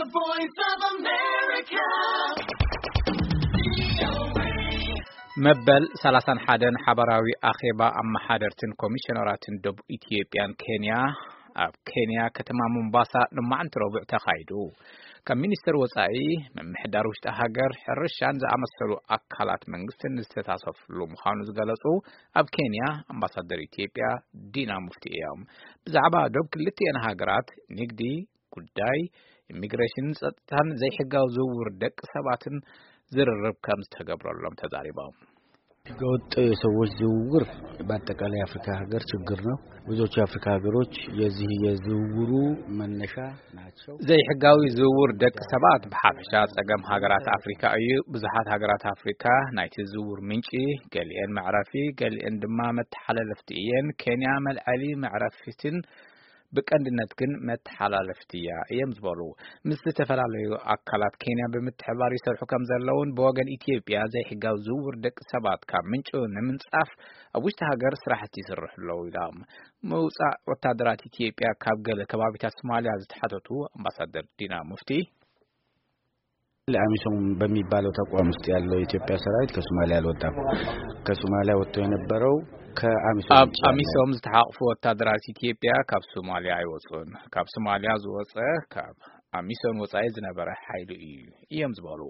The Voice of America. መበል ሰላሳን ሓደን ሓባራዊ ኣኼባ ኣመሓደርትን ኮሚሽነራትን ደቡብ ኢትዮጵያን ኬንያ ኣብ ኬንያ ከተማ ሞምባሳ ንማዕንቲ ረቡዕ ተኻይዱ። ካብ ሚኒስተር ወጻኢ፣ ምምሕዳር ውሽጢ ሃገር፣ ሕርሻን ዝኣመሰሉ ኣካላት መንግስትን ዝተሳተፍሉ ምዃኑ ዝገለጹ ኣብ ኬንያ ኣምባሳደር ኢትዮጵያ ዲና ሙፍቲ እዮም። ብዛዕባ ዶብ ክልቲኤን ሃገራት ንግዲ፣ ጉዳይ ኢሚግሬሽንን ጸጥታን ዘይሕጋዊ ዝውውር ደቂ ሰባትን ዝርርብ ከም ዝተገብረሎም ተዛሪቦም። ህገወጥ የሰዎች ዝውውር በአጠቃላይ የአፍሪካ ሀገር ችግር ነው። ብዙዎቹ የአፍሪካ ሀገሮች የዚህ የዝውውሩ መነሻ ናቸው። ዘይሕጋዊ ዝውውር ደቂ ሰባት ብሓፈሻ ጸገም ሃገራት ኣፍሪካ እዩ። ብዙሓት ሃገራት ኣፍሪካ ናይቲ ዝውውር ምንጪ፣ ገሊኤን መዕረፊ፣ ገሊኤን ድማ መተሓላለፍቲ እየን። ኬንያ መልዐሊ መዕረፊትን ብቀንድነት ግን መተሓላለፍቲ እያ እዮም ዝበሉ። ምስ ዝተፈላለዩ ኣካላት ኬንያ ብምትሕባር ይሰርሑ ከም ዘለውን ብወገን ኢትዮጵያ ዘይሕጋዊ ዝውውር ደቂ ሰባት ካብ ምንጩ ንምንጻፍ ኣብ ውሽጢ ሃገር ስራሕቲ ይስርሑ ኣለዉ ኢሎም። ምውጻእ ወታደራት ኢትዮጵያ ካብ ገለ ከባቢታት ሶማሊያ ዝተሓተቱ ኣምባሳደር ዲና ሙፍቲ አሚሶም በሚባለው ተቋም ውስጥ ያለው የኢትዮጵያ ሰራዊት ከሶማሊያ አልወጣም። ከሶማሊያ ወጥቶ የነበረው ከአሚሶም ኣብ ውጭ ያለው ኣሚሶም ዝተሓቕፉ ወታደራት ኢትዮጵያ ካብ ሶማሊያ ኣይወፁን። ካብ ሶማሊያ ዝወፀ ካብ ኣሚሶም ወፃኢ ዝነበረ ሓይሊ እዩ እዮም ዝበሉ።